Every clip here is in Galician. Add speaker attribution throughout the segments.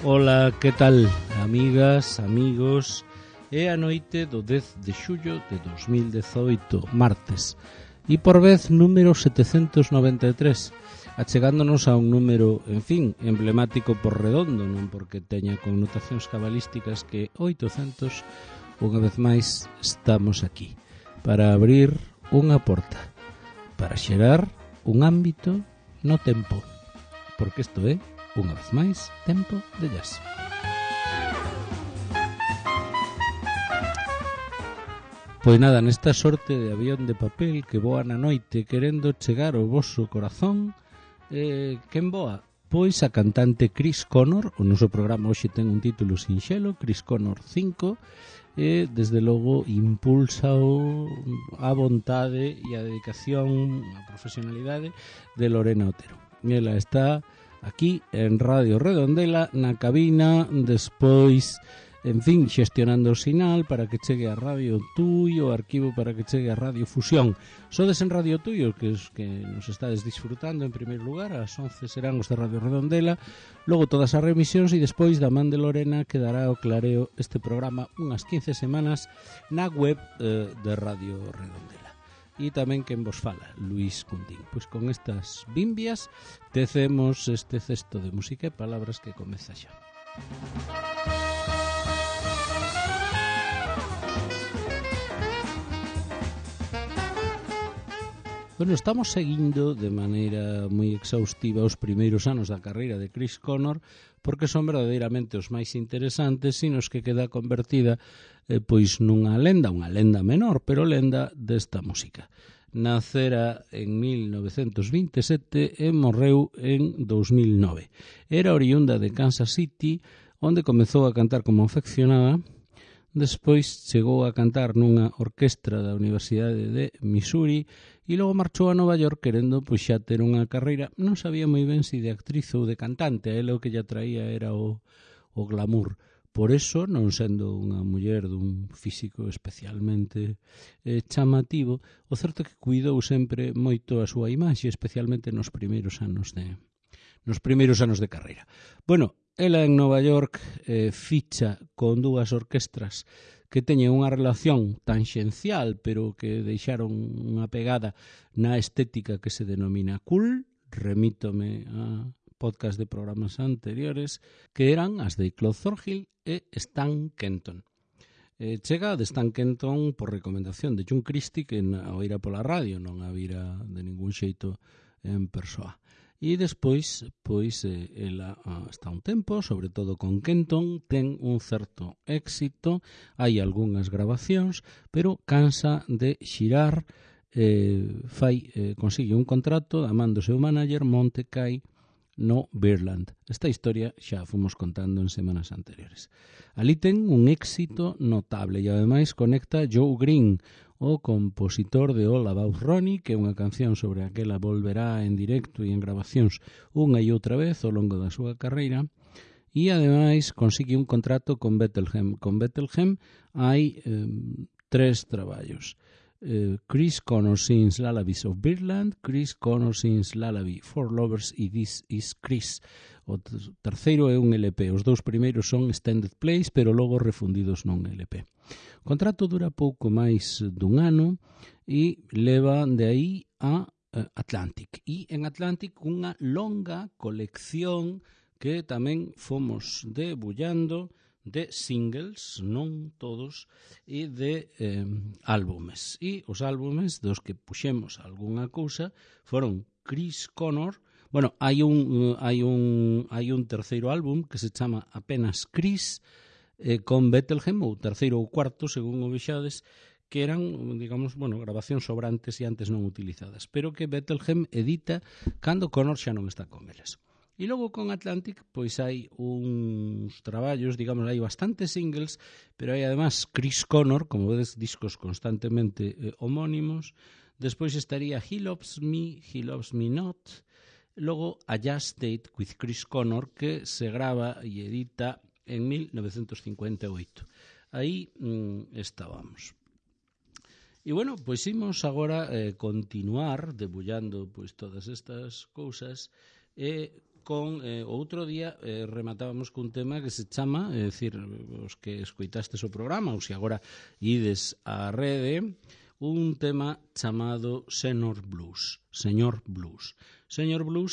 Speaker 1: Ola, que tal, amigas, amigos? É a noite do 10 de xullo de 2018, martes, e por vez número 793, achegándonos a un número, en fin, emblemático por redondo, non porque teña connotacións cabalísticas, que 800, unha vez máis, estamos aquí, para abrir unha porta, para xerar un ámbito no tempo, porque isto é, unha vez máis, tempo de jazz. Pois nada, nesta sorte de avión de papel que voa na noite querendo chegar ao vosso corazón, quen voa? Pois a cantante Chris Connor. O noso programa hoxe ten un título sinxelo, Chris Connor 5, e desde logo impulsa a vontade e a dedicación, a profesionalidade de Lorena Otero. Ela está aquí en Radio Redondela, na cabina, despois, en fin, xestionando o sinal para que chegue a Radio Tui, o arquivo para que chegue a Radio Fusión. Sodes en Radio Tui, os que nos estades disfrutando en primeiro lugar, ás 11 serán os de Radio Redondela, logo todas as remisións e despois da man de Lorena quedará o clareo este programa unhas 15 semanas na web de Radio Redondela. E tamén quen vos fala, Luís Cundín. Pois con estas bimbias tecemos este cesto de música e palabras que comeza xa. Bueno, estamos seguindo de maneira moi exhaustiva os primeiros anos da carreira de Chris Connor, porque son verdadeiramente os máis interesantes e nos que queda convertida pois nunha lenda menor, pero lenda desta música. Nacera en 1927 e morreu en 2009. Era oriunda de Kansas City, onde comezou a cantar como afeccionada. Despois chegou a cantar nunha orquestra da Universidade de Missouri e logo marchou a Nova York querendo pois xa ter unha carreira. Non sabía moi ben se de actriz ou de cantante, a ela o que lle atraía era o glamour. Por eso, non sendo unha muller dun físico especialmente chamativo, o certo é que cuidou sempre moito a súa imaxe, especialmente nos primeiros anos de carreira. Bueno, ela en Nova York ficha con dúas orquestras que teñen unha relación tanxencial, pero que deixaron unha pegada na estética que se denomina cool. Remítome a podcast de programas anteriores, que eran as de Claude Thornhill e Stan Kenton. Chega de Stan Kenton por recomendación de John Christie, que a oíra pola radio, non a vira de ningún xeito en persoa. E despois, pois, ela está un tempo, sobre todo con Kenton, ten un certo éxito, hai algunhas grabacións, pero cansa de xirar, consigue un contrato da man do seu manager Monte Kay no Birdland. Esta historia xa fomos contando en semanas anteriores. Ali ten un éxito notable e ademais conecta Joe Green, o compositor de All About Ronnie, que é unha canción sobre a que ela volverá en directo e en grabacións unha e outra vez ao longo da súa carreira, e ademais consigue un contrato con Bethlehem. Con Bethlehem hai 3 traballos. Chris Connor Sings Lullabies of Birdland, Chris Connor Sings Lullaby for Lovers e This Is Chris. O terceiro é un LP. Os 2 primeiros son extended plays, pero logo refundidos nun LP. O contrato dura pouco máis dun ano e leva de aí a Atlantic. E en Atlantic unha longa colección que tamén fomos debullando de singles, non todos, e de álbumes. E os álbumes dos que puxemos algunha cousa foron Chris Connor. Bueno, hai un terceiro álbum que se chama apenas Chris, con Bethlehem, ou terceiro ou cuarto, según o vexades, que eran, digamos, grabacións sobrantes e antes non utilizadas, pero que Bethlehem edita cando Connor xa non está con eles. E logo con Atlantic, pois hai uns traballos, digamos, hai bastantes singles, pero hai además Chris Connor, como vedes, discos constantemente homónimos. Despois estaría He Loves Me Not. Logo A Jazz Date with Chris Connor, que se grava e edita en 1958. Aí estábamos. E bueno, pois imos agora continuar debullando pois todas estas cousas e con outro día rematábamos cun tema que se chama, é dicir, os que escoitastes o programa ou se agora ides á rede, un tema chamado Señor Blues. Señor Blues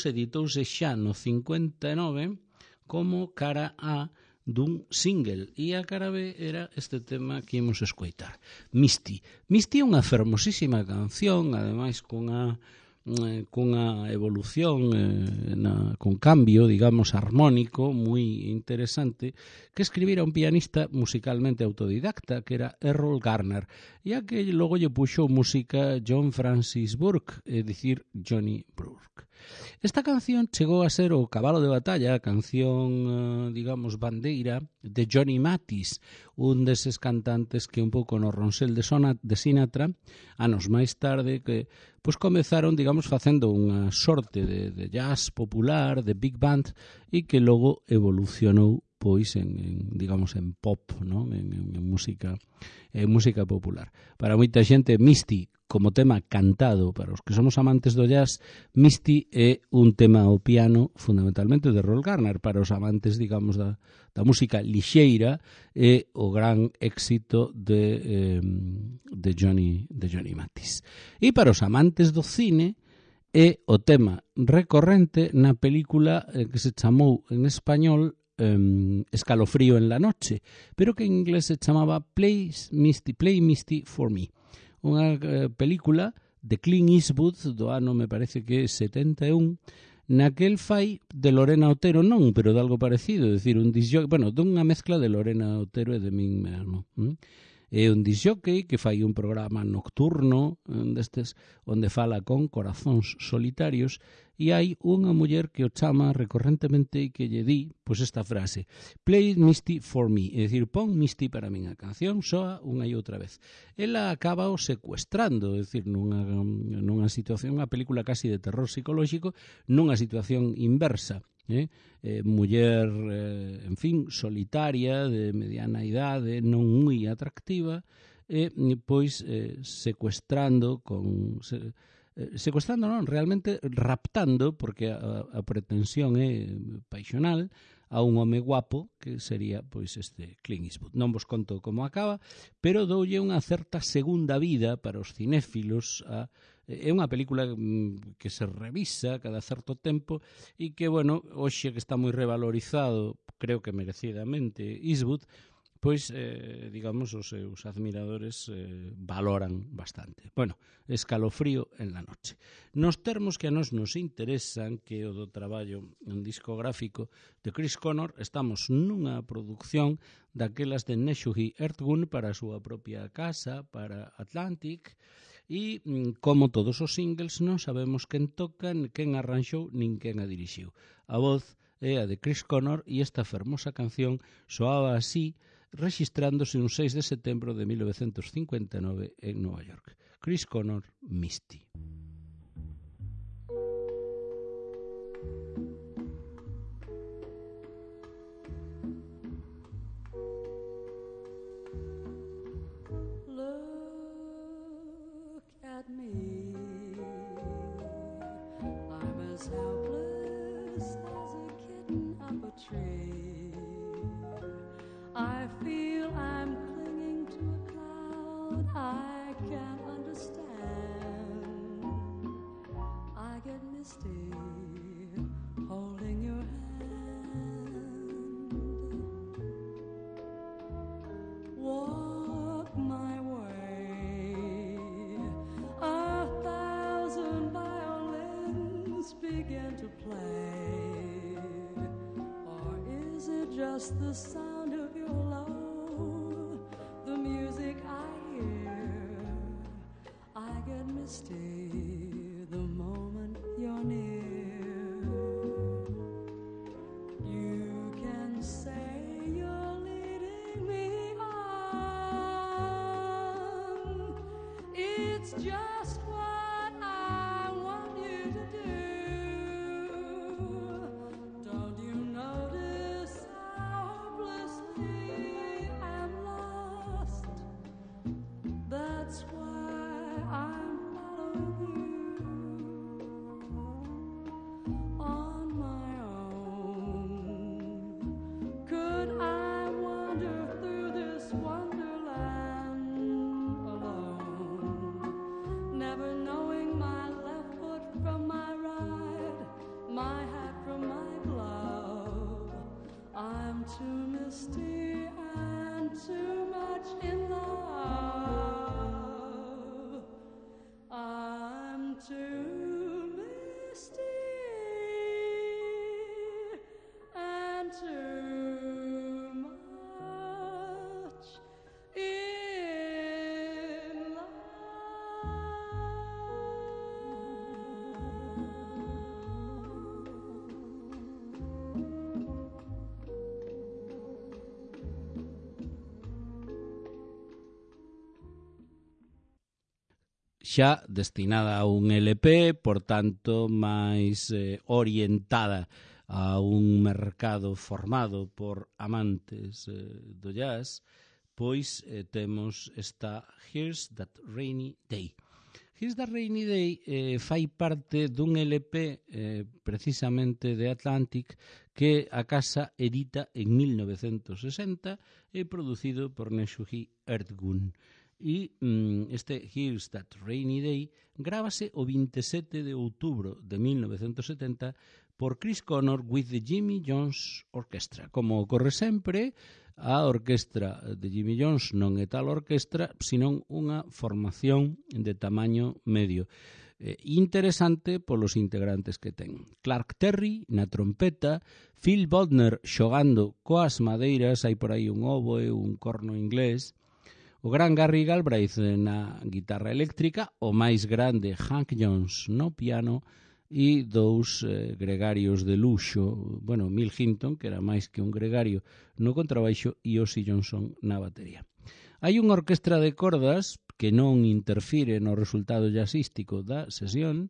Speaker 1: editouse xa no 59 como cara A dun single, e a cara B era este tema que imos escoitar, Misty. Misty é unha fermosísima canción, ademais cunha evolución con cambio, digamos, armónico moi interesante, que escribira un pianista musicalmente autodidacta que era Errol Garner, e a que logo lle puxo música John Francis Burke, é dicir, Johnny Burke. Esta canción chegou a ser o cabalo de batalla, a canción, digamos, bandeira de Johnny Mathis, un deses cantantes que un pouco no ronsel de Sinatra, anos máis tarde, que pois comezaron, digamos, facendo unha sorte de jazz popular, de big band, e que logo evolucionou pois digamos en pop, non? En música popular. Para moita xente Misty como tema cantado, para os que somos amantes do jazz, Misty é un tema ao piano fundamentalmente de Errol Garner. Para os amantes, digamos, da música lixeira é o gran éxito de Johnny Mathis. E para os amantes do cine é o tema recorrente na película que se chamou en español Escalofrío en la noche, pero que en inglés se chamaba Play Misty for Me. Unha película de Clint Eastwood do ano, me parece que é 71, na que el fai de Lorena Otero, non, pero de algo parecido, é dicir, dunha mezcla de Lorena Otero e de min mesmo. É un disjockey que fai un programa nocturno destes onde fala con corazóns solitarios, e hai unha muller que o chama recorrentemente e que lle di pois esta frase: Play Misty for me, é dicir, pon Misty para min. A canción soa unha e outra vez. Ela acaba o secuestrando, é dicir, nunha situación, unha película casi de terror psicolóxico, nunha situación inversa. Muller, en fin, solitaria, de mediana idade, non moi atractiva, pois secuestrando non, realmente raptando, porque a pretensión é paixonal, a un home guapo que sería pois este Clint Eastwood. Non vos conto como acaba, pero doulle unha certa segunda vida para os cinéfilos. É unha película que se revisa cada certo tempo e que, bueno, hoxe que está moi revalorizado, creo que merecidamente, Eastwood, pois, digamos, os seus admiradores valoran bastante. Bueno, Escalofrío en la noche. Nos termos que a nos interesan, que o do traballo discográfico de Chris Connor, estamos nunha produción daquelas de Neshuhi Earthgun para a súa propia casa, para Atlantic, e como todos os singles non sabemos quen toca, quen arranxou, nin quen a dirixiu. A voz é a de Chris Connor e esta fermosa canción soaba así, registrándose un 6 de setembro de 1959 en Nova York. Chris Connor, Misty.
Speaker 2: Look at me, I'm as helpless as a kitten up a tree. I feel I'm clinging to a cloud I can't understand. I get misty holding your hand. Walk my way, 1,000 violins begin to play. Or is it just the sound of your love, the music I hear? I get misty the moment you're near. You can say you're leading me on. It's just what I want you to do. Don't you notice how hopelessly I'm lost? That's why I'm following
Speaker 1: xa destinada a un LP, por tanto, máis orientada a un mercado formado por amantes do jazz, pois temos esta Here's That Rainy Day. Here's That Rainy Day fai parte dun LP precisamente de Atlantic que a casa edita en 1960 e producido por Neshuhi Erdgun. E este Here's That Rainy Day grábase o 27 de outubro de 1970 por Chris Connor with the Jimmy Jones Orchestra. Como ocorre sempre, a orquestra de Jimmy Jones non é tal orquestra, senón unha formación de tamaño medio. Interesante polos integrantes que ten. Clark Terry na trompeta, Phil Bodner xogando coas madeiras, hai por aí un oboe, un corno inglés, o gran Gary Galbraith na guitarra eléctrica, o máis grande Hank Jones no piano e dous gregarios de luxo, bueno, Mill Hinton, que era máis que un gregario, no contrabaixo e Ozzy Johnson na batería. Hai unha orquestra de cordas que non interfire no resultado jazzístico da sesión,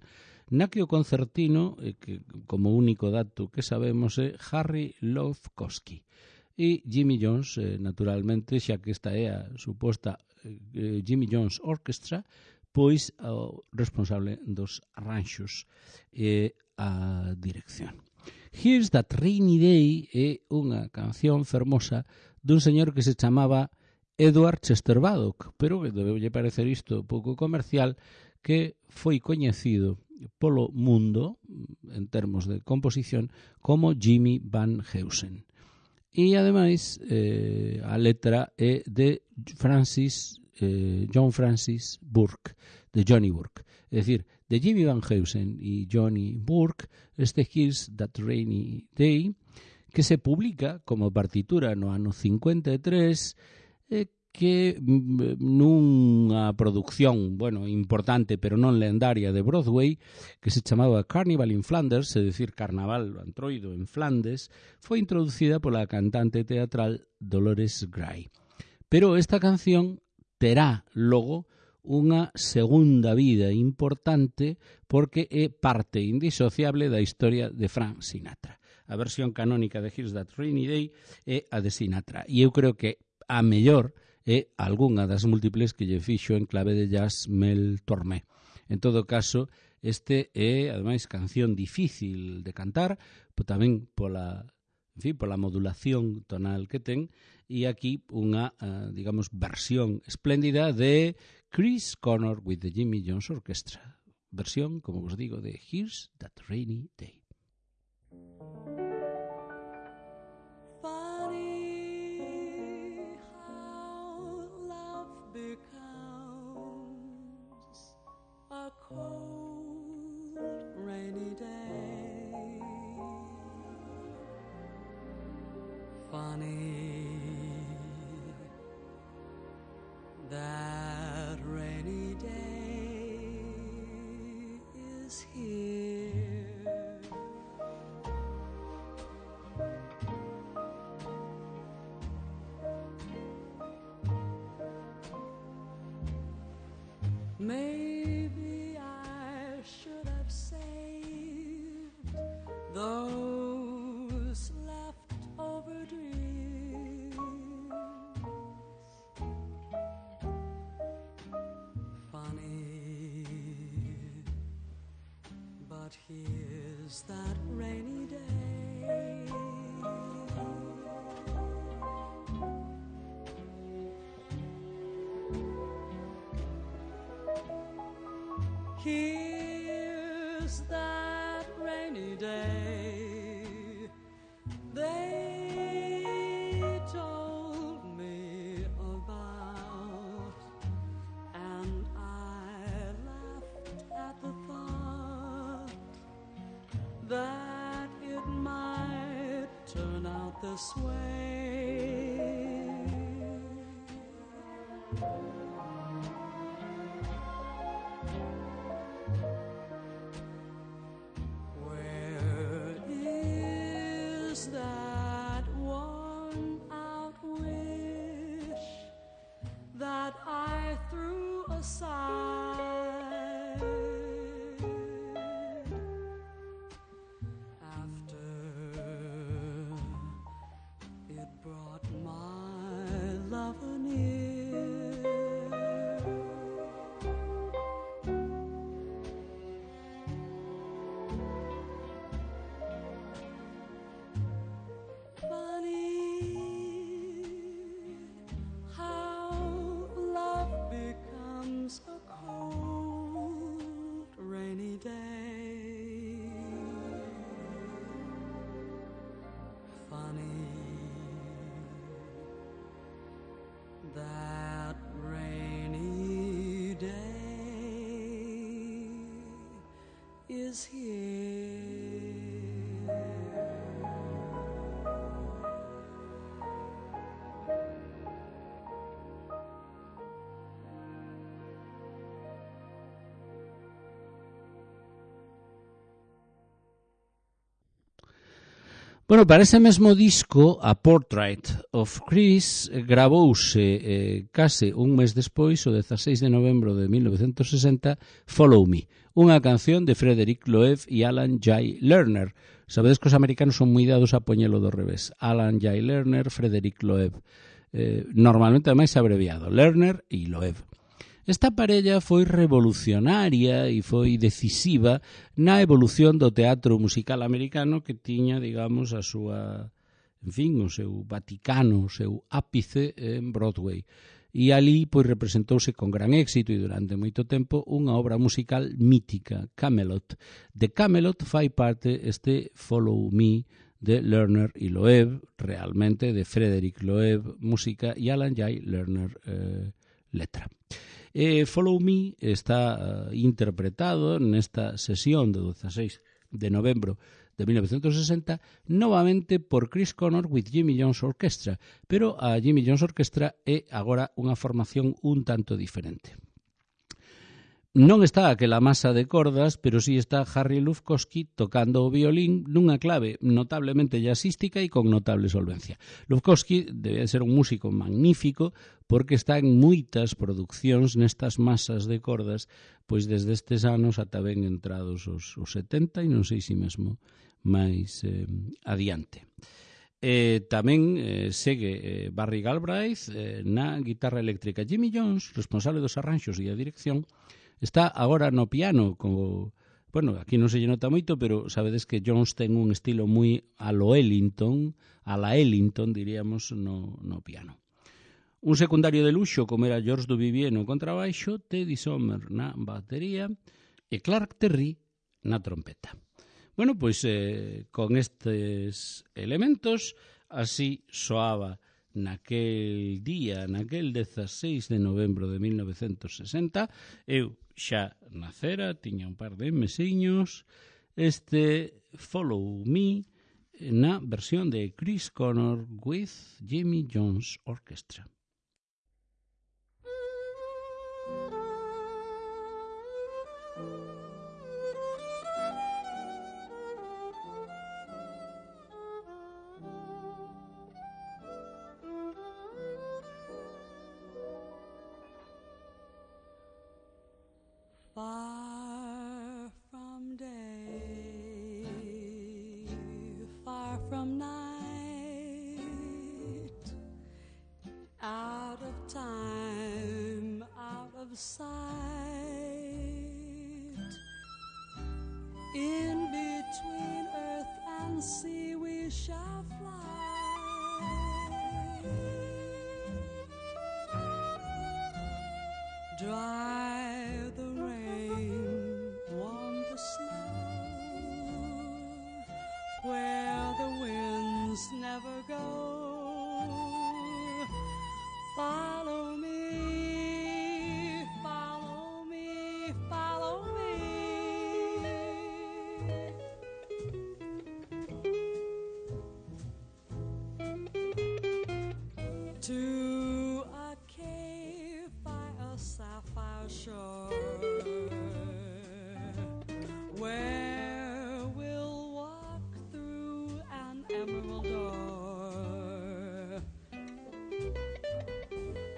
Speaker 1: na que o concertino, que como único dato que sabemos, é Harry Lofkowski. E Jimmy Jones, naturalmente, xa que esta é a suposta Jimmy Jones Orchestra, pois o responsable dos arranxos e a dirección. Here's That Rainy Day é unha canción fermosa dun señor que se chamaba Edward Chester Baddock, pero que debeulle parecer isto pouco comercial, que foi coñecido polo mundo, en termos de composición, como Jimmy Van Heusen. E, ademais, a letra é de John Francis Burke, de Johnny Burke. É dicir, de Jimmy Van Heusen e Johnny Burke, este Here's That Rainy Day, que se publica como partitura no ano 53, que nunha produción, bueno, importante, pero non lendaria de Broadway, que se chamaba Carnival in Flanders, é dicir, Carnaval Antroido en Flandes, foi introducida pola cantante teatral Dolores Gray. Pero esta canción terá logo unha segunda vida importante porque é parte indisociable da historia de Frank Sinatra. A versión canónica de Here's That Rainy Day é a de Sinatra. E eu creo que a mellor é algunha das múltiples que lle fixo en clave de jazz Mel Tormé. En todo caso, este é, ademais, canción difícil de cantar, pero tamén pola modulación tonal que ten, e aquí unha, digamos, versión espléndida de Chris Connor with the Jimmy Jones Orchestra. Versión, como vos digo, de Here's That Rainy Day.
Speaker 2: Funny how love becomes a cold, rainy day. Funny that rainy day is here. Maybe I should have saved those leftover dreams. Funny, but here's that rainy day. Here's that rainy day they told me about, and I laughed at the thought that it might turn out this way. That worn out wish that I threw aside is here.
Speaker 1: Bueno, para ese mesmo disco, A Portrait of Chris, gravouse case un mes despois, o 16 de novembro de 1960, Follow Me, unha canción de Frederick Loeb e Alan J. Lerner. Sabedes que os americanos son moi dados a poñelo do revés. Alan J. Lerner, Frederick Loeb. Normalmente, ademais, abreviado. Lerner e Loeb. Esta parella foi revolucionaria e foi decisiva na evolución do teatro musical americano, que tiña, digamos, a súa, en fin, o seu Vaticano, o seu ápice en Broadway. E ali, pois, representouse con gran éxito e durante moito tempo unha obra musical mítica, Camelot. De Camelot fai parte este Follow Me de Lerner e Loeb, realmente de Frederick Loeb, música, e Alan J. Lerner, letra. Follow Me está interpretado nesta sesión do 16 de novembro de 1960 novamente por Chris Connor with Jimmy Jones Orchestra, pero a Jimmy Jones Orchestra é agora unha formación un tanto diferente. Non está aquela masa de cordas, pero sí está Harry Lufkowski tocando o violín nunha clave notablemente jazzística e con notable solvencia. Lufkowski debe ser un músico magnífico porque está en moitas producións nestas masas de cordas, pois desde estes anos ata ben entrados os 70 e non sei se mesmo máis adiante. Tamén segue Barry Galbraith na guitarra eléctrica. Jimmy Jones, responsable dos arranxos e a dirección, está agora no piano, como, bueno, aquí non se lle nota moito, pero sabedes que Jones ten un estilo moi a la Ellington, diríamos, no piano. Un secundario de luxo, como era George Duvivier no contrabaixo, Teddy Sommer na batería e Clark Terry na trompeta. Bueno, pois con estes elementos, así soaba naquel día, naquel 16 de novembro de 1960, eu xa nacera, tiña un par de mesiños, este Follow Me na versión de Chris Connor with Jimmy Jones Orchestra.
Speaker 2: Far from day, far from night, out of time, out of sight, in between earth and sea we shall fly. Dry the rain, warm the snow, where the winds never go. Follow me, follow me, follow me. To a cave by a sapphire shore, where we'll walk through an emerald door,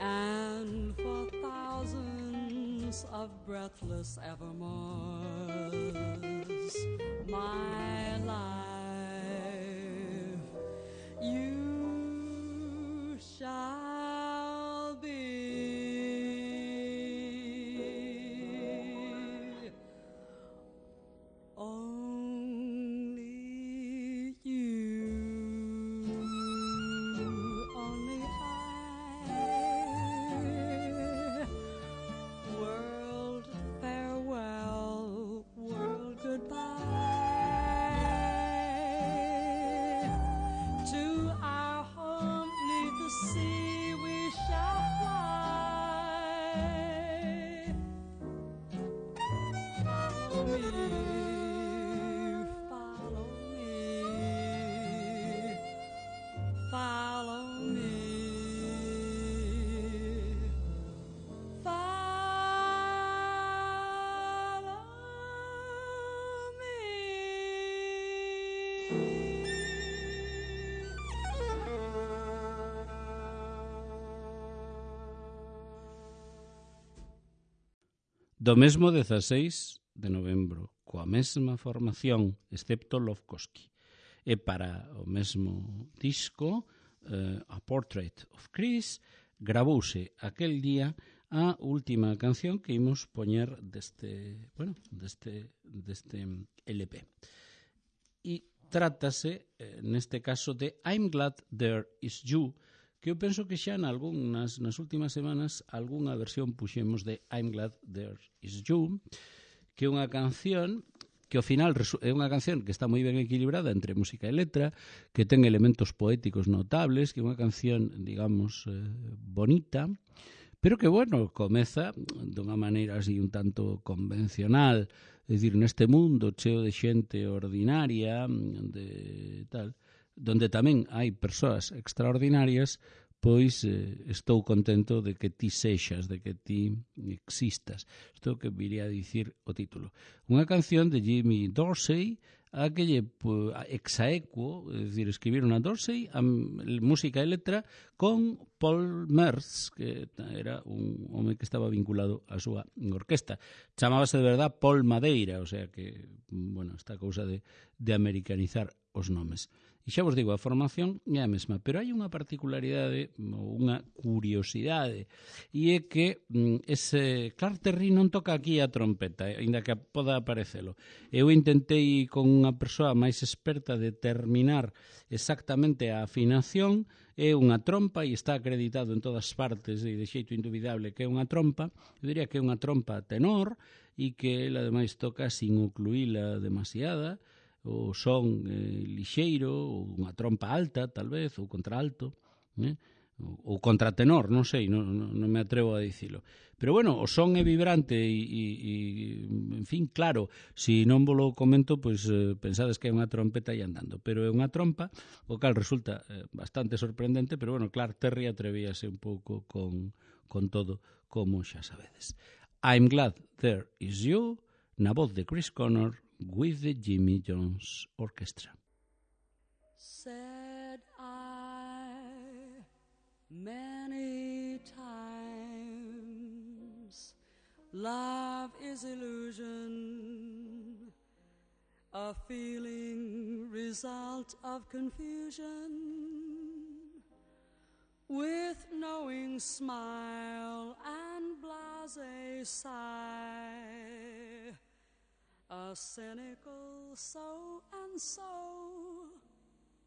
Speaker 2: and for thousands of breathless evermores, my life you shall be. Only you, only I. World farewell, world goodbye.
Speaker 1: Do mesmo 16 de novembro, coa mesma formación, excepto Lovkoski. E para o mesmo disco, A Portrait of Chris, gravouse aquel día a última canción que imos poñer deste LP. E trátase, neste caso, de I'm Glad There Is You, que eu penso que xa nas últimas semanas algunha versión puxemos de I'm Glad There Is You, que é unha canción que ao final é unha canción que está moi ben equilibrada entre música e letra, que ten elementos poéticos notables, que é unha canción, digamos, bonita, pero que, bueno, comeza dunha maneira así un tanto convencional, é dicir, neste mundo cheo de xente ordinaria, de tal, donde tamén hai persoas extraordinarias, pois estou contento de que ti sexas, de que ti existas. Isto que viría a dicir o título. Unha canción de Jimmy Dorsey, a que lle exaequo, é dicir, escribiron a Dorsey, a música e letra, con Paul Merz, que era un home que estaba vinculado á súa orquesta. Chamábase de verdad Paul Madeira, o sea que, bueno, esta cousa de americanizar os nomes. E xa vos digo, a formación é a mesma, pero hai unha particularidade, unha curiosidade, e é que ese Clark Terry non toca aquí a trompeta, ainda que poda aparecelo. Eu intentei con unha persoa máis experta determinar exactamente a afinación, é unha trompa e está acreditado en todas partes e de xeito indubidable que é unha trompa. Eu diría que é unha trompa tenor e que ele ademais toca sin ocluíla demasiada, o son lixeiro, ou unha trompa alta, tal vez, ou contralto, ou contratenor, non sei, non me atrevo a dicilo. Pero bueno, o son é vibrante e en fin, claro, se non vos lo comento, pois pensades que é unha trompeta e andando, pero é unha trompa, o cal resulta bastante sorprendente, pero bueno, Clark Terry atrevíase un pouco con todo, como xa sabedes. I'm Glad There Is You, na voz de Chris Connor, with the Jimmy Jones Orchestra.
Speaker 2: Said I many times, love is illusion, a feeling result of confusion, with knowing smile and blasé sigh, a cynical so and so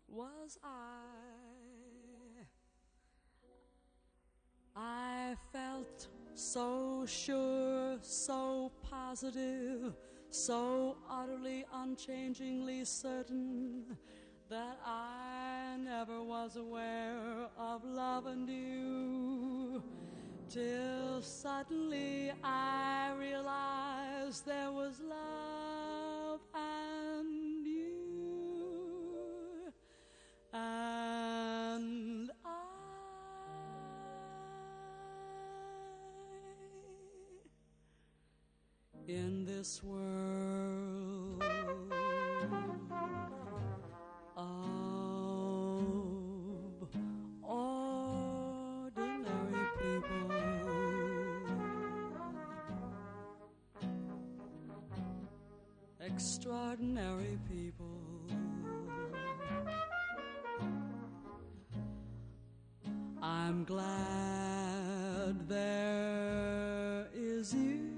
Speaker 2: was I felt so sure, so positive, so utterly unchangingly certain that I never was aware of love anew, till suddenly I realized there was love and you, and in this world of ordinary people, extraordinary people, I'm glad there is you.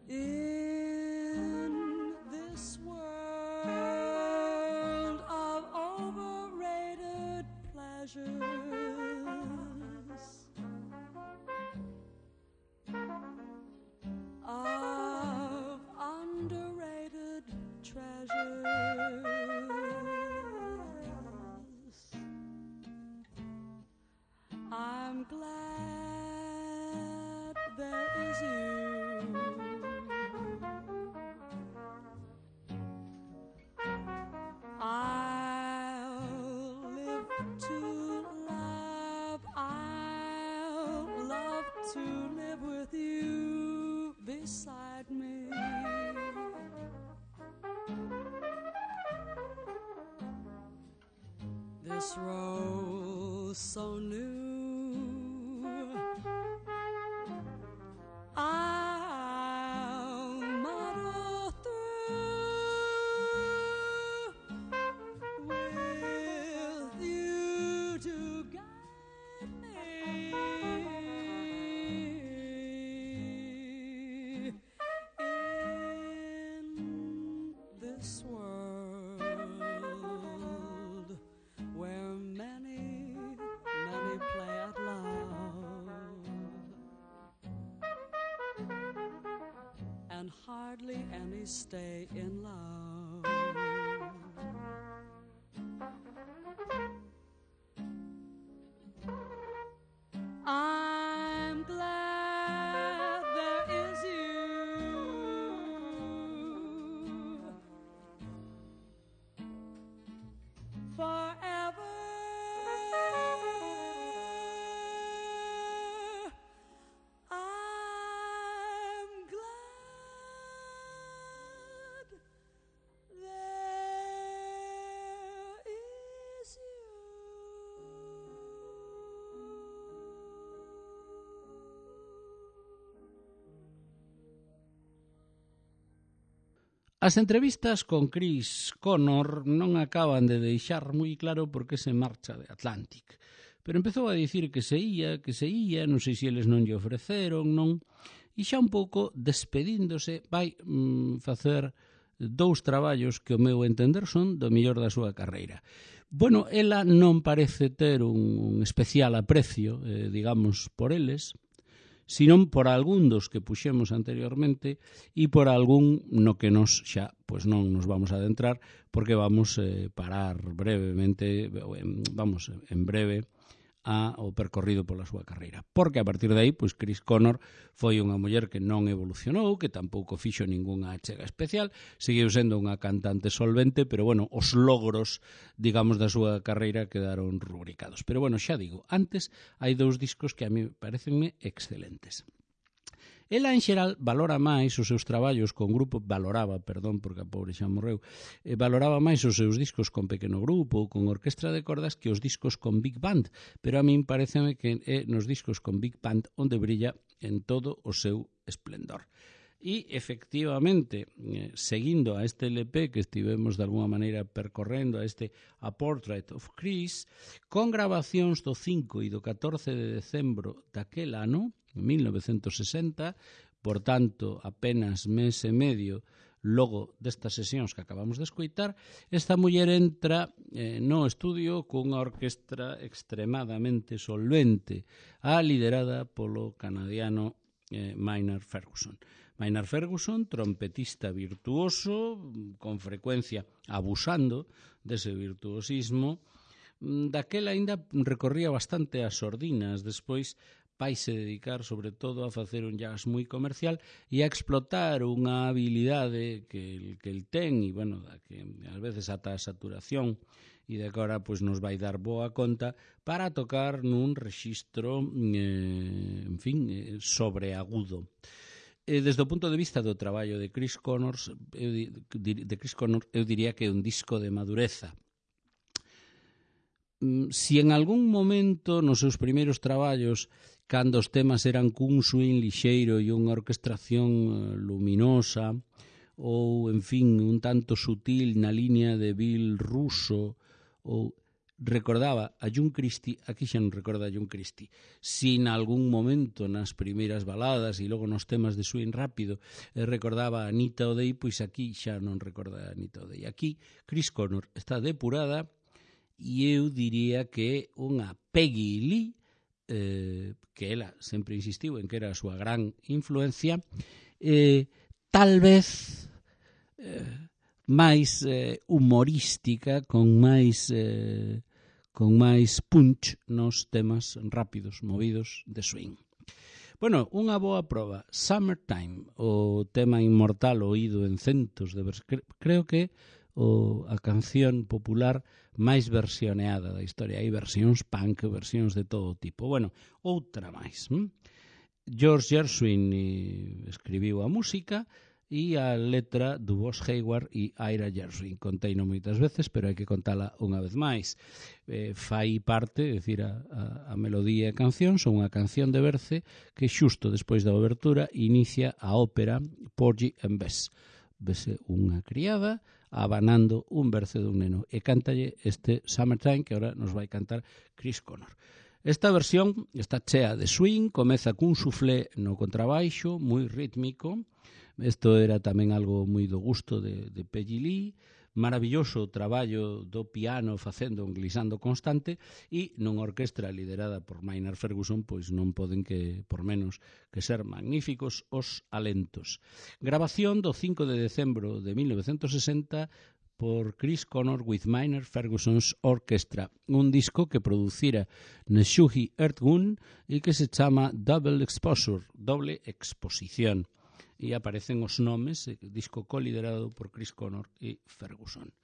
Speaker 2: In this world of overrated pleasures, of underrated treasures, I'm glad there is you. I'll live to love, I'll so new. I'm not through with you to guide me in this world where many play at love and hardly any stay in love. I'm glad there is you forever. I'm glad there is you.
Speaker 1: As entrevistas con Chris Connor non acaban de deixar moi claro por que se marcha de Atlantic. Pero empezou a dicir que se ia, non sei se eles non lle ofreceron, non? E xa un pouco despedíndose vai facer dous traballos que o meu entender son do mellor da súa carreira. Bueno, ela non parece ter un especial aprecio, digamos, por eles, senón por algún dos que puxemos anteriormente e por algún no que nos xa pois non nos vamos a adentrar porque vamos parar brevemente, vamos en breve ao percorrido pola súa carreira. Porque a partir de aí, pois Chris Connor foi unha muller que non evolucionou, que tampouco fixo ningunha achega especial, seguiu sendo unha cantante solvente, pero bueno, os logros, digamos, da súa carreira quedaron rubricados. Pero bueno, xa digo, antes hai dous discos que a mí parecenme excelentes. Ela, en xeral, valora máis os seus traballos con grupo, porque a pobre xa morreu, valoraba máis os seus discos con pequeno grupo ou con orquestra de cordas que os discos con big band, pero a min pareceme que é nos discos con big band onde brilla en todo o seu esplendor. E, efectivamente, seguindo a este LP que estivemos de alguma maneira percorrendo, a este A Portrait of Chris, con grabacións do 5 e do 14 de decembro daquel ano, 1960, por tanto, apenas mes e medio logo destas sesións que acabamos de escoitar, esta muller entra no estudio cunha orquestra extremadamente solvente, liderada polo canadiano Maynard Ferguson. Maynard Ferguson, trompetista virtuoso, con frecuencia abusando dese virtuosismo, daquela aínda recorría bastante as sordinas, despois vaise dedicar sobre todo a facer un jazz moi comercial e a explotar unha habilidade que el ten e, bueno, da que ás veces ata a saturación e de que agora pues, nos vai dar boa conta para tocar nun rexistro, en fin, sobreagudo. Desde o punto de vista do traballo de Chris Connor, eu diría que é un disco de madureza. Si en algún momento nos seus primeiros traballos, cando os temas eran cun swing lixeiro e unha orquestración luminosa, ou, en fin, un tanto sutil na liña de Bill Russo, ou recordaba a John Christie, aquí xa non recorda a John Christie. Si en algún momento nas primeiras baladas e logo nos temas de swing rápido recordaba a Anita O'Day, pois aquí xa non recorda a Anita O'Day. Aquí Chris Connor está depurada e eu diría que é unha Peggy Lee, que ela sempre insistiu en que era a súa gran influencia, tal vez máis humorística, con máis punch nos temas rápidos, movidos de swing. Bueno, unha boa proba, Summertime, o tema inmortal oído en centos de veces, creo que a canción popular máis versioneada da historia. Hai versións punk, versións de todo tipo. Bueno, outra máis. George Gershwin escribiu a música e a letra do Boss Hayward e Ira Gershwin. Conteino moitas veces, pero hai que contala unha vez máis. Fai parte, é dicir, a melodía e canción son unha canción de Berce que xusto despois da obertura inicia a ópera Porgy and Bess. Vese unha criada abanando un berce dun neno e cántalle este Summertime que ahora nos vai cantar Chris Connor. Esta versión está chea de swing, comeza cun suflé no contrabaixo, moi rítmico. Isto era tamén algo moi do gusto de Peggy Lee, maravilloso traballo do piano facendo un glissando constante e nunha orquestra liderada por Maynard Ferguson, pois non poden que, por menos, que ser magníficos os alentos. Grabación do 5 de decembro de 1960 por Chris Connor with Maynard Ferguson's Orchestra, un disco que producira Neshuhi Earthgun e que se chama Double Exposure, doble exposición. E aparecen os nomes, disco coliderado por Chris Connor e Ferguson.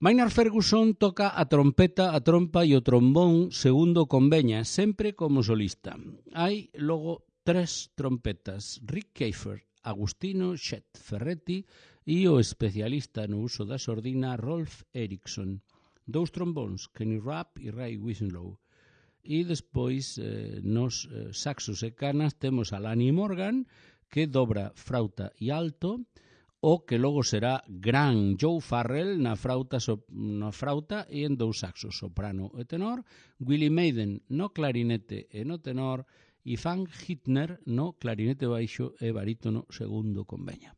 Speaker 1: Maynard Ferguson toca a trompeta, a trompa e o trombón segundo conveña, sempre como solista. Hai logo 3 trompetas, Rick Kafer, Agustino Chet Ferretti e o especialista no uso da sordina Rolf Eriksson. 2 trombóns, Kenny Rapp e Ray Winslow. E despois nos saxos e canas temos a Lanny Morgan, que dobra frauta e alto, o que logo será gran Joe Farrell na frauta e en 2 saxos, soprano e tenor, Willie Maiden no clarinete e no tenor, e Frank Hittner no clarinete baixo e barítono segundo conveña.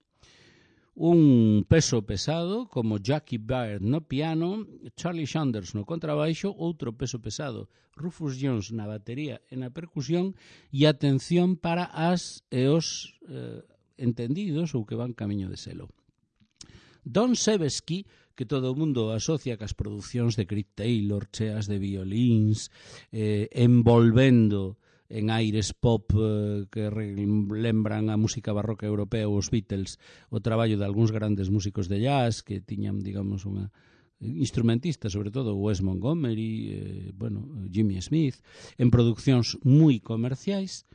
Speaker 1: Un peso pesado como Jackie Baird no piano, Charlie Sanders no contrabaixo, outro peso pesado, Rufus Jones na batería e na percusión, e atención para as e os entendidos ou que van camiño de selo. Don Sebesky, que todo o mundo asocia cas producións de Creed Taylor, cheas de violíns, envolvendo en aires pop que lembran a música barroca europea ou os Beatles, o traballo de algúns grandes músicos de jazz que tiñan, digamos, unha instrumentista, sobre todo Wes Montgomery, Jimmy Smith, en produccións moi comerciais.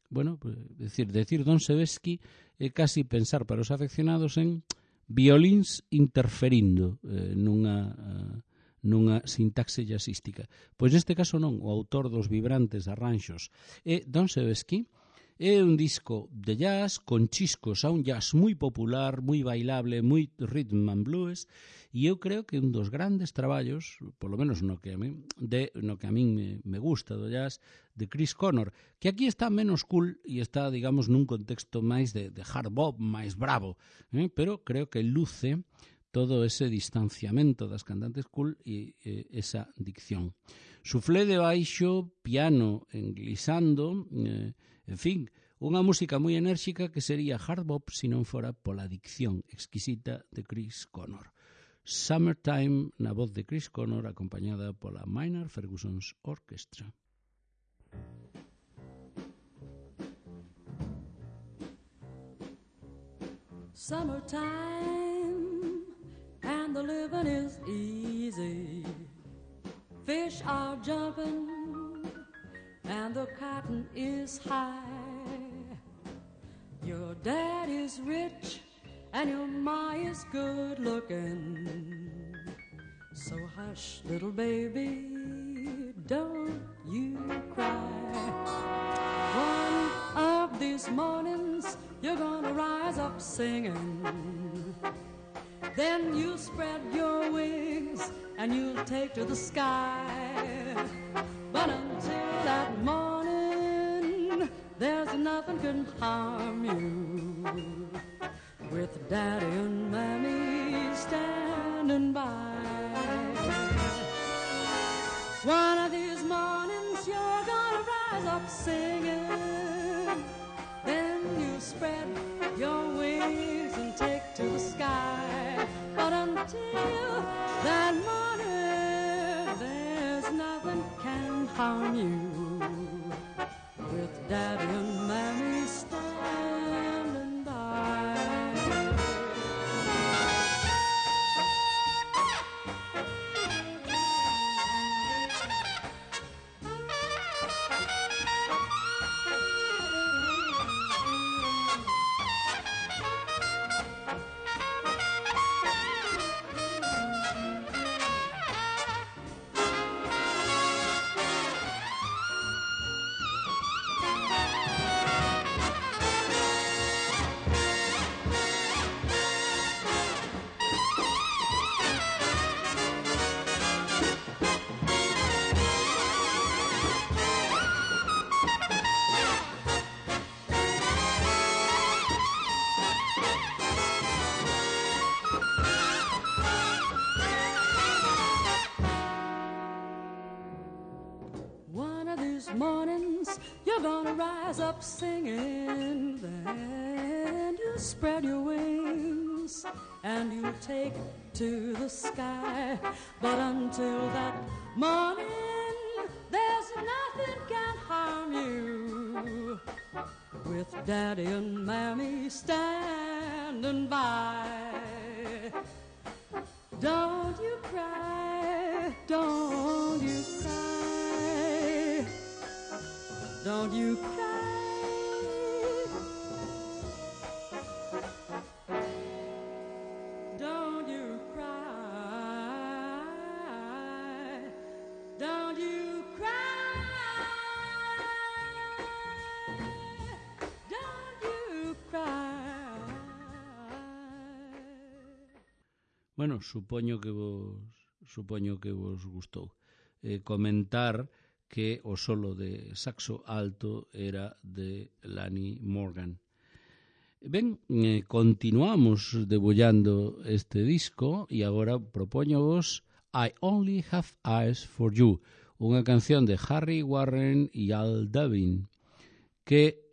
Speaker 1: Decir Don Sebesky é casi pensar para os afeccionados en violíns interferindo nunha sintaxe jazzística. Pois neste caso non, o autor dos vibrantes arranxos é Don Sebesky. É un disco de jazz con chiscos a un jazz moi popular, moi bailable, moi rhythm and blues, e eu creo que un dos grandes traballos, polo menos no que a min me gusta do jazz, de Chris Connor, que aquí está menos cool e está, digamos, nun contexto máis de hard bop, máis bravo, pero creo que luce todo ese distanciamento das cantantes cool e esa dicción. Suflé de baixo, piano englissando, en fin, unha música moi enérxica que sería hard bop se non fora pola dicción exquisita de Chris Connor. Summertime na voz de Chris Connor acompañada pola Maynard Ferguson's Orchestra.
Speaker 2: Summertime and the living is easy. Fish are jumping and the cotton is high. Your dad is rich and your ma is good looking. So hush, little baby, don't you cry. One of these mornings you're gonna rise up singing. Then you spread your wings and you'll take to the sky. But until that morning, there's nothing can harm you, with Daddy and Mammy standing by. One of these mornings you're gonna rise up singing. Then you spread your wings and take to the sky. But until that morning, there's nothing can harm you, with Daddy and Mammy standing by. You're gonna rise up singing, then you spread your wings and you take to the sky. But until that morning, there's nothing can harm you, with Daddy and Mammy standing by. Don't you cry, don't you cry, don't you cry, don't you cry, don't you cry, don't you cry.
Speaker 1: Bueno, supoño que vos gustou. Comentar que o solo de saxo alto era de Lanny Morgan. Ben, continuamos debullando este disco e agora propoñovos I Only Have Eyes for You, unha canción de Harry Warren e Al Devin que,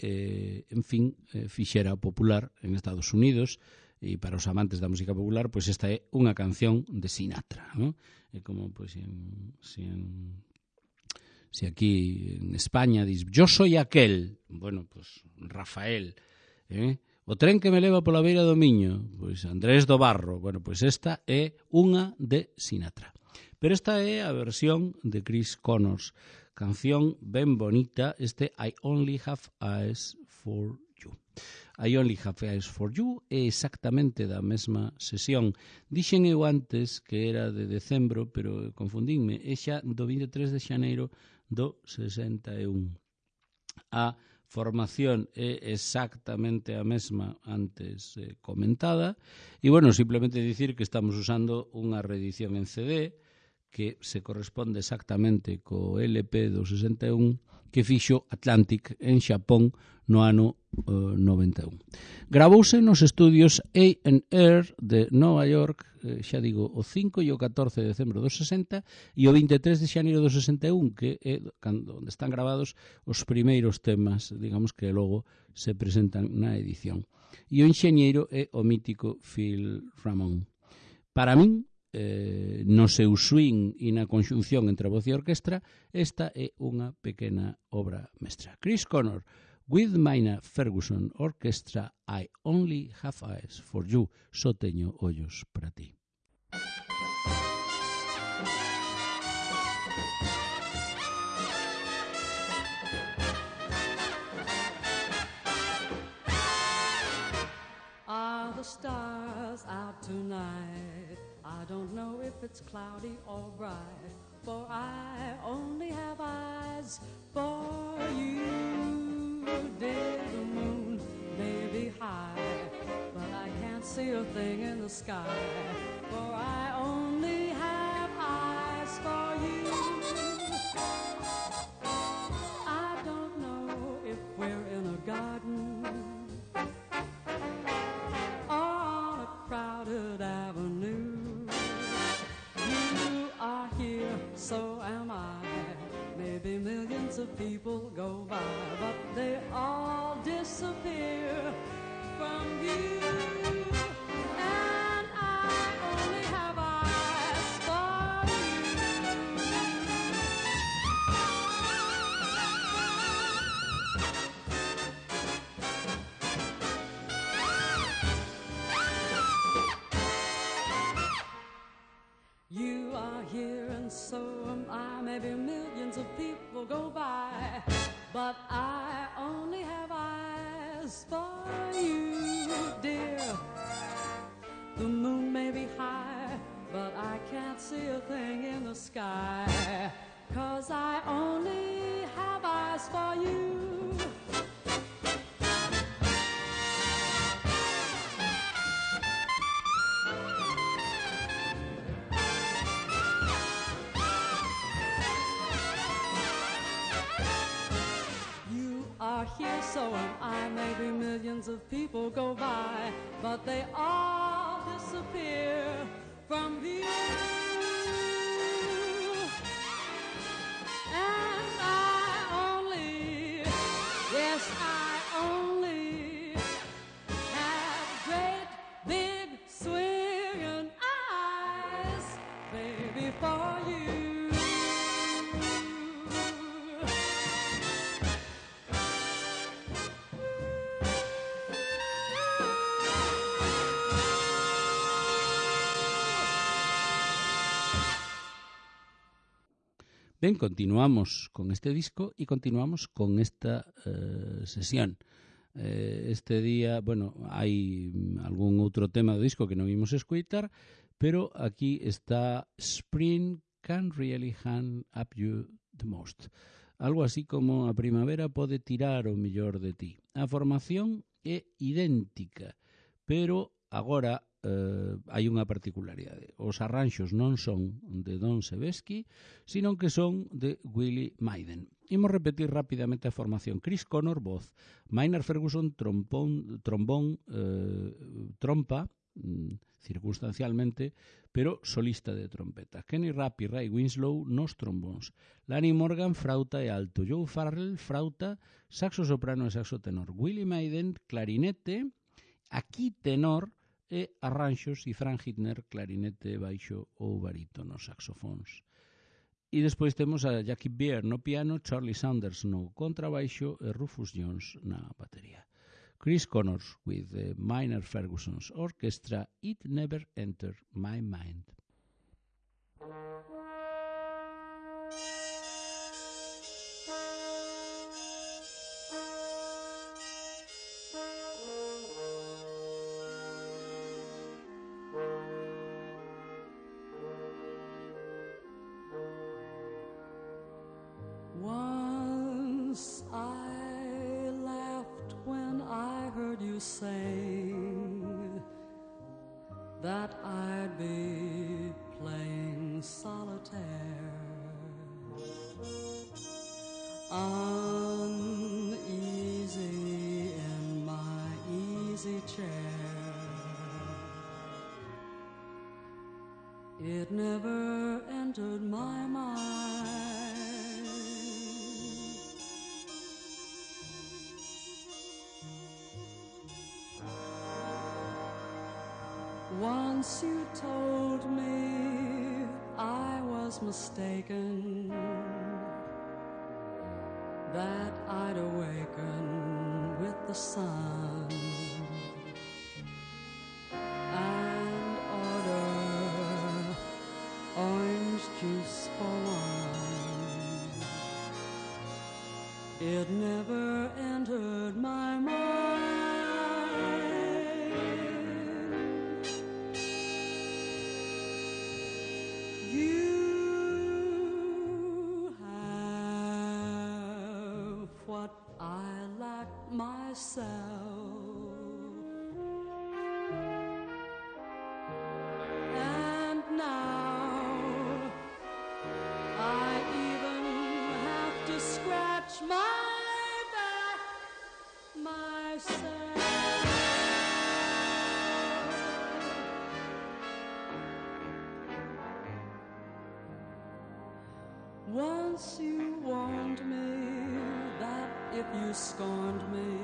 Speaker 1: fixera popular en Estados Unidos. E para os amantes da música popular, pois esta é unha canción de Sinatra, ¿no? É como, pois, si aquí en España dis, yo soy aquel, bueno, pois, Rafael, o tren que me leva pola beira do Miño, pois, Andrés do Barro, bueno, pois esta é unha de Sinatra. Pero esta é a versión de Chris Connors, canción ben bonita, este I Only Have Eyes for You. I Only Have Eyes for You é exactamente da mesma sesión. Dixen eu antes que era de decembro, pero confundínme, é xa do 23 de xaneiro do 61. A formación é exactamente a mesma antes comentada, e, bueno, simplemente dicir que estamos usando unha reedición en CD que se corresponde exactamente co LP do 61 que fixo Atlantic en Xapón no ano 91. Gravouse nos estudios A&R de Nova York, xa digo, o 5 e o 14 de decembro do 60 e o 23 de xaneiro do 61, que é onde están gravados os primeiros temas, digamos, que logo se presentan na edición. E o enxeñeiro é o mítico Phil Ramone. Para min, no seu swing e na conxunción entre a voz e a orquestra, esta é unha pequena obra mestra. Chris Connor, with Maina Ferguson Orchestra, I Only Have Eyes for You, só teño ollos para ti.
Speaker 2: Are the stars out tonight? I don't know if it's cloudy or bright, for I only have eyes for you. Dear, the moon may be high, but I can't see a thing in the sky, for I only have eyes for you. I don't know if we're in a garden or on a crowded avenue. You are here, so am I. Maybe millions of people go by, but they all disappear from you. And I only have eyes for you. You are here and so am I. Maybe millions of people go by, but I only have eyes for you, dear. The moon may be high, but I can't see a thing in the sky, 'cause I only have eyes for you. Here, so am I. Maybe millions of people go by, but they all disappear from view. And I only
Speaker 1: Ben, continuamos con este disco e continuamos con esta sesión. Este día, bueno, hai algún outro tema do disco que non vimos escoitar, pero aquí está Spring Can Really Hand Up You The Most. Algo así como a primavera pode tirar o mellor de ti. A formación é idéntica, pero agora hai unha particularidade. Os arranxos non son de Don Sebesky, sino que son de Willie Maiden. Imos repetir rapidamente a formación. Chris Connor, voz. Maynard Ferguson, trombón, trompa, circunstancialmente, pero solista de trompeta. Kenny Rapp e Ray Winslow nos trombóns. Lanny Morgan, frauta e alto. Joe Farrell, frauta, saxo soprano e saxo tenor. Willie Maiden, clarinete, aquí tenor, e arranxos, e Frank Hitner, clarinete, baixo ou barítono, saxofóns. E despois temos a Jackie Beer no piano, Charlie Saunders no contrabaixo e Rufus Jones na batería. Chris Connors with the Maynard Ferguson's Orchestra, It Never Entered My Mind.
Speaker 2: Once I laughed when I heard you sing that I'd be playing solitaire, uneasy in my easy chair. It never entered my mind once you told me I was mistaken, that I'd awaken with the sun and order orange juice for one. It never entered my mind. You have what I lack myself, and now I even have to scratch my back myself. Once you warned me that if you scorned me,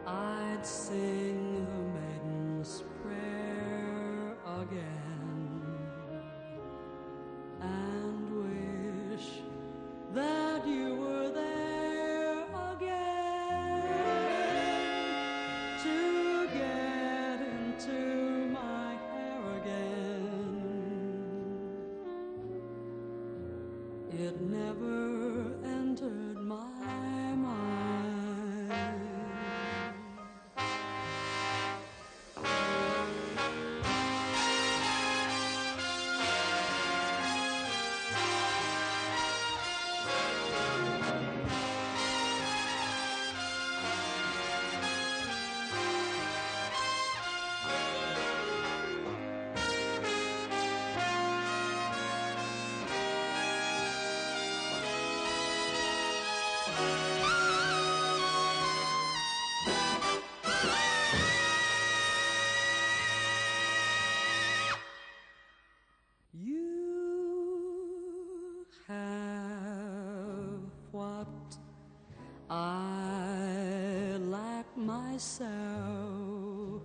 Speaker 2: I'd sing the maiden's prayer again and wish that you were there again to get into my hair again. It never entered my mind. You have what I lack myself,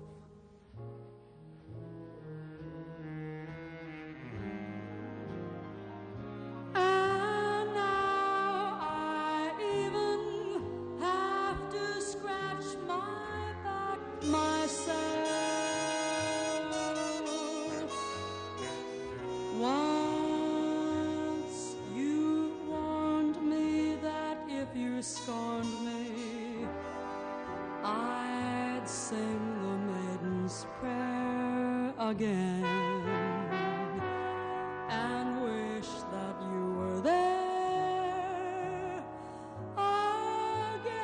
Speaker 2: and now I even have to scratch my back myself. Once scorned me, I'd sing the maiden's prayer again and wish that you were there again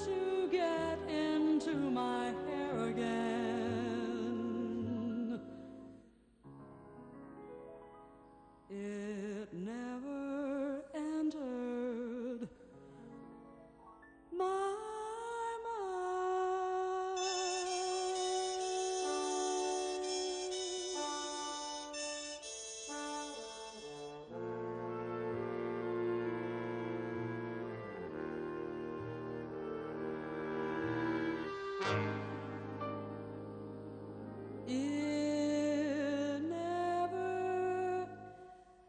Speaker 2: to get into my hair again. It never entered my It never entered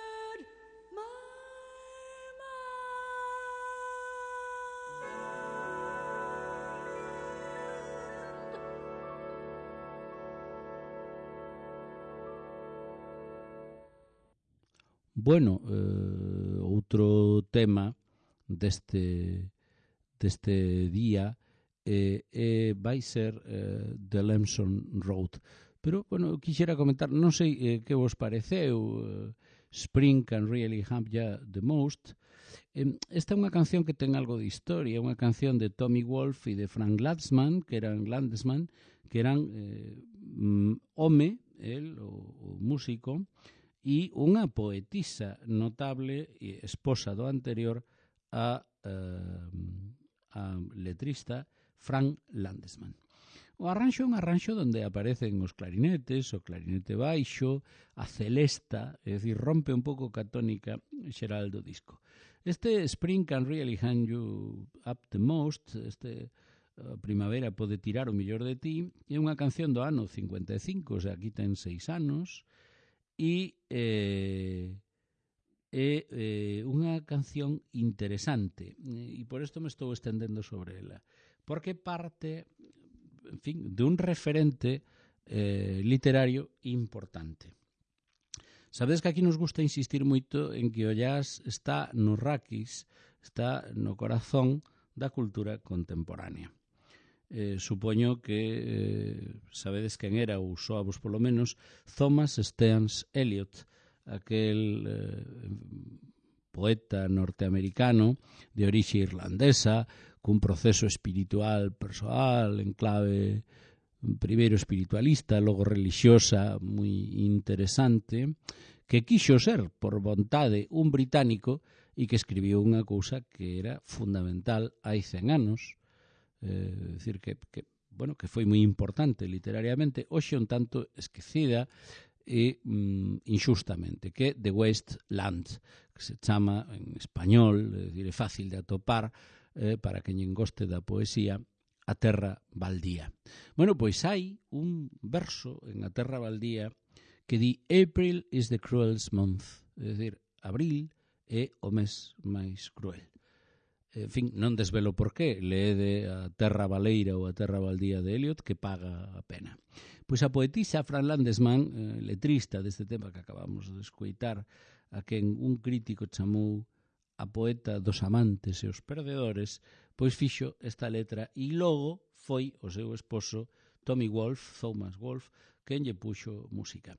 Speaker 2: my mind.
Speaker 1: Bueno, outro tema deste día vai ser The Lamson Road. Pero, bueno, quixera comentar, non sei que vos pareceu, Spring Can Really Have Ya The Most. Esta é unha canción que ten algo de historia, unha canción de Tommy Wolfe e de Frank Landesman, que eran home, el, o músico, e unha poetisa notable e esposa do anterior a letrista Frank Landesman. O arranxo é un arranxo onde aparecen os clarinetes, o clarinete baixo, a celesta, é dicir, rompe un pouco ca tónica xeral do disco. Este Spring Can Really Hand You Up The Most, Primavera pode tirar o millor de ti, é unha canción do ano 55, o sea, aquí ten 6 anos, e é unha canción interesante, e por isto me estou estendendo sobre ela, porque parte, en fin, de un referente literario importante. Sabedes que aquí nos gusta insistir moito en que o jazz está nos raquis, está no corazón da cultura contemporánea. Supoño que sabedes quen era, ou soavos polo menos, Thomas Stearns Eliot, aquel poeta norteamericano de orixe irlandesa, cun proceso espiritual persoal en clave primeiro espiritualista, logo relixiosa, moi interesante, que quixo ser por vontade un británico e que escribiu unha cousa que era fundamental hai 100 anos, decir que foi moi importante literariamente, hoxe un tanto esquecida e injustamente, que The Wasteland, que se chama en español, é dicir, é fácil de atopar para quen goste da poesía, A Terra Baldía. Bueno, pois hai un verso en A Terra Baldía que di April is the cruelest month, é dicir, abril é o mes máis cruel. En fin, non desvelo por qué, leede A Terra Baleira ou A Terra Baldía de Eliot, que paga a pena. Pois a poetisa Frank Landesman, letrista deste tema que acabamos de escoitar, a quen un crítico chamou a poeta dos amantes e os perdedores, pois fixo esta letra e logo foi o seu esposo Tommy Wolfe, Thomas Wolfe, quen lle puxo música.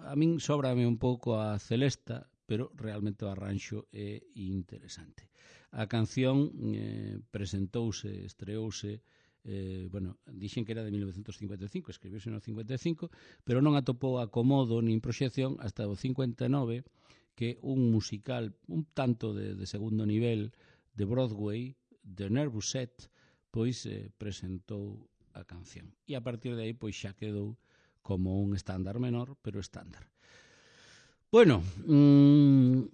Speaker 1: A min sóbrame un pouco a celesta, pero realmente o arranxo é interesante. A canción estreouse, dixen que era de 1955, escribiuse no 55, pero non atopou acomodo nin proxección hasta o 59, que un musical un tanto de segundo nivel de Broadway, The Nervous Set, pois presentou a canción. E a partir de aí pois xa quedou como un estándar menor, pero estándar. Bueno,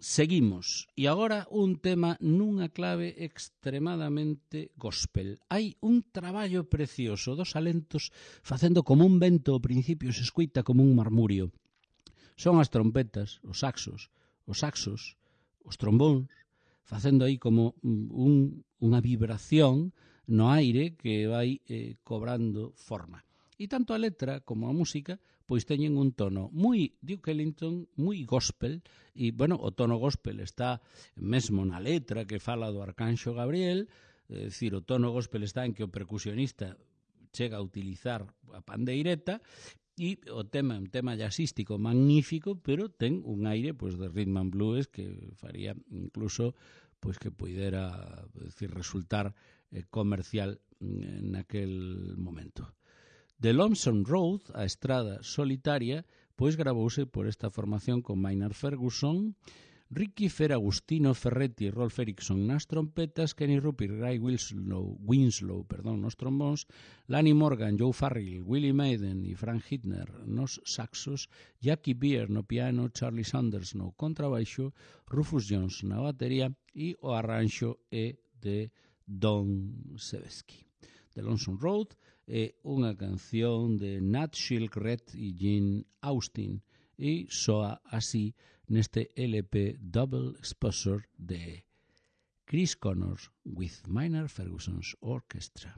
Speaker 1: seguimos. E agora un tema nunha clave extremadamente gospel. Hai un traballo precioso dos alentos facendo como un vento ao principio, se escoita como un marmurio. Son as trompetas, os saxos, os trombóns, facendo aí como unha vibración no aire que vai cobrando forma. E tanto a letra como a música pois teñen un tono moi Duke Ellington, moi gospel, e, bueno, o tono gospel está mesmo na letra que fala do Arcanxo Gabriel, é dicir, o tono gospel está en que o percusionista chega a utilizar a pandeireta, e o tema é un tema jazzístico magnífico, pero ten un aire pois de rhythm and blues que faría incluso pois que poidera, decir, resultar comercial naquel momento. The Lonesome Road, a estrada solitaria, pois gravouse por esta formación con Maynard Ferguson, Ricky Feragustino Ferretti e Rolf Erickson nas trompetas, Kenny Rupert, Guy Winslow nos trombóns, Lanny Morgan, Joe Farrell, Willie Maiden e Frank Hitner nos saxos, Jackie Beer no piano, Charlie Sanders no contrabaixo, Rufus Jones na batería e o arranxo é de Don Sebesky. The Lonesome Road é unha canción de Nat Shilkret e Gene Austin e soa así neste LP Double Exposure de Chris Connors with Maynard Ferguson's Orchestra.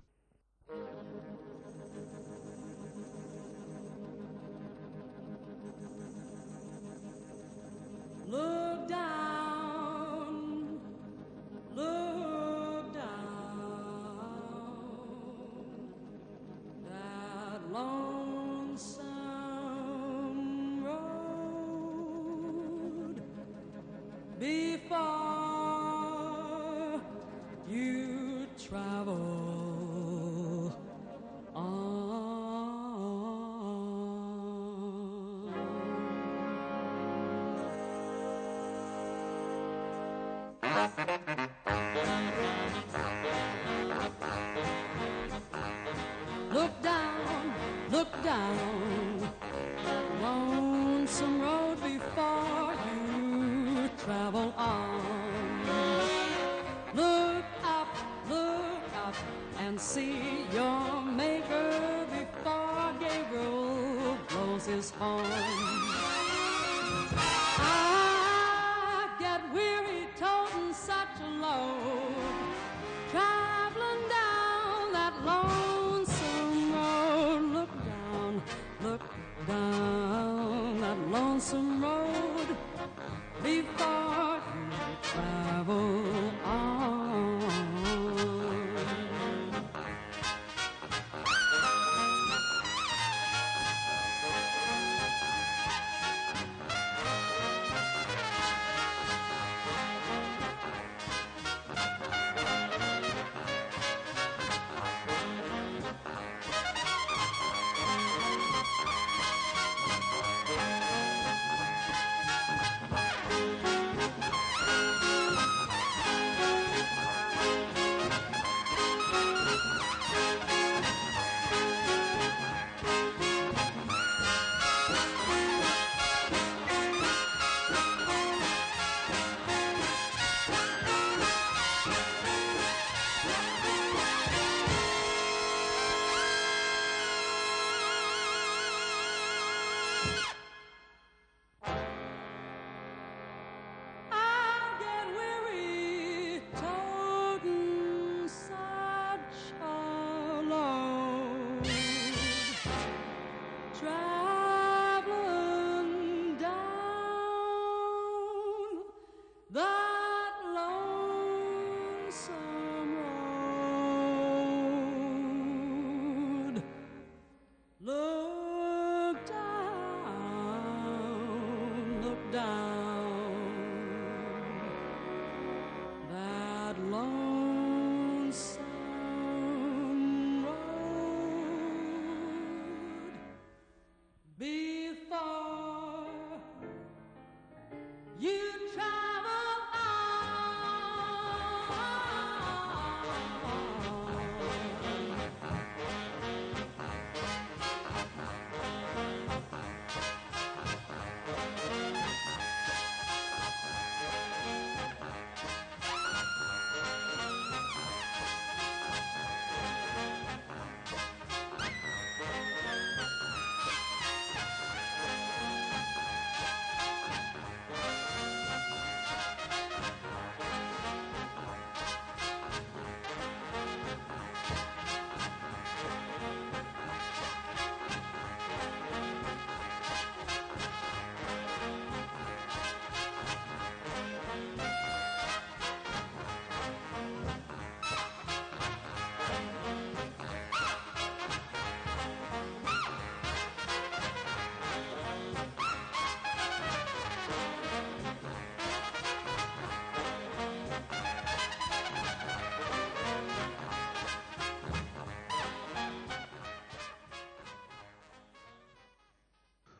Speaker 2: Look down, that lonesome road before you travel on. Look down, lonesome road before you travel on. Look up and see your maker before Gabriel blows his horn. I get weary toting such a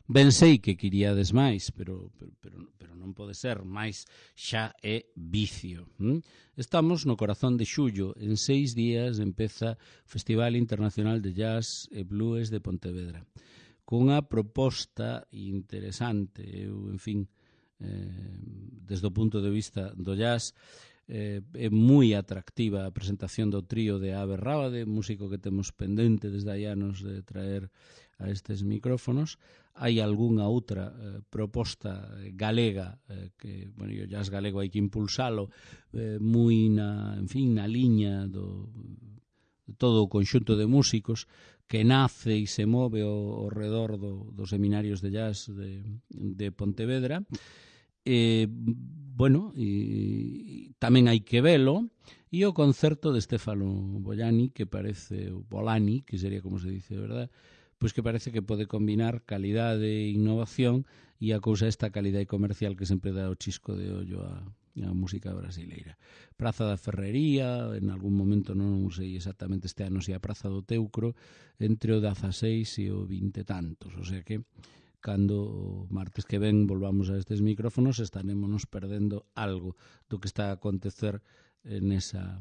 Speaker 1: Ben sei que queríades máis, pero non pode ser máis, xa é vicio. Estamos no corazón de xullo, en 6 días empeza o Festival Internacional de Jazz e Blues de Pontevedra, cunha proposta interesante. Eu, en fin, desde o punto de vista do jazz, é moi atractiva a presentación do trío de Abe Rábade, músico que temos pendente desde hai anos de traer a estes micrófonos. Hai algunha outra proposta galega que, bueno, o jazz galego hai que impulsalo moi na liña do todo o conxunto de músicos que nace e se move ao redor dos seminarios de jazz de Pontevedra. Bueno, e tamén hai que velo, e o concerto de Stefano Bollani, que parece, o Bolani, que sería como se dice, verdad? Pois que parece que pode combinar calidade e innovación, e a cousa esta calidade comercial que sempre dá o chisco de ollo a música brasileira. Praza da Ferrería, en algún momento non sei exactamente este ano se a Praza do Teucro, entre o 16 e o 20 tantos, o sea que cando o martes que ven volvamos a estes micrófonos estarémonos perdendo algo do que está a acontecer nesa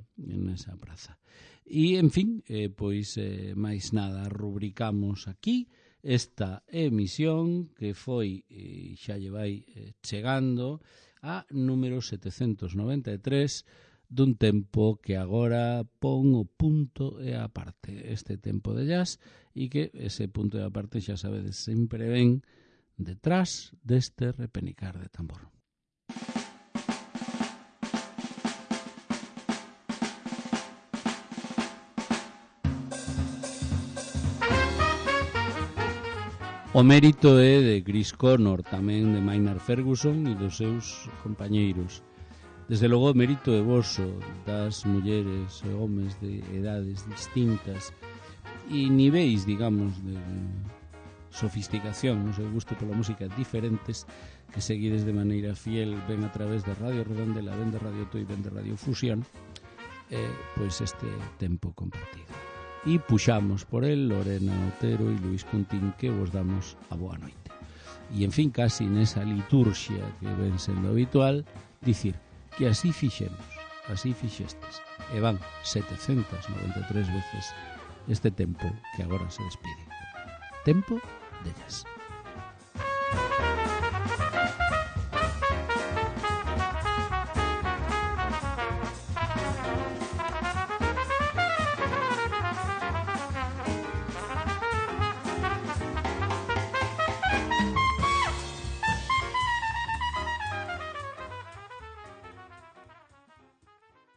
Speaker 1: praza. E, en fin, pois máis nada, rubricamos aquí esta emisión que foi, xa lle vai chegando a número 793 dun tempo que agora pon o punto e a parte, este tempo de jazz, e que ese punto e a parte, xa sabedes, sempre ven detrás deste repenicar de tambor. O mérito é de Chris Connor, tamén de Maynard Ferguson e dos seus compañeiros. Desde logo o mérito é voso, das mulleres e homes de edades distintas e niveis, digamos, de sofisticación, no seu gusto pola música diferentes, que seguides de maneira fiel, ben a través de Radio Redondela, ben de Radio Tui, ben de Radio Fusión, pois este tempo compartido. E puxamos por el Lorena Otero e Luis Cuntín, que vos damos a boa noite. E, en fin, casi nesa liturxia que ven sendo habitual, dicir que así fixemos, así fixestes, e van 793 veces este tempo que agora se despide. Tempo de jazz.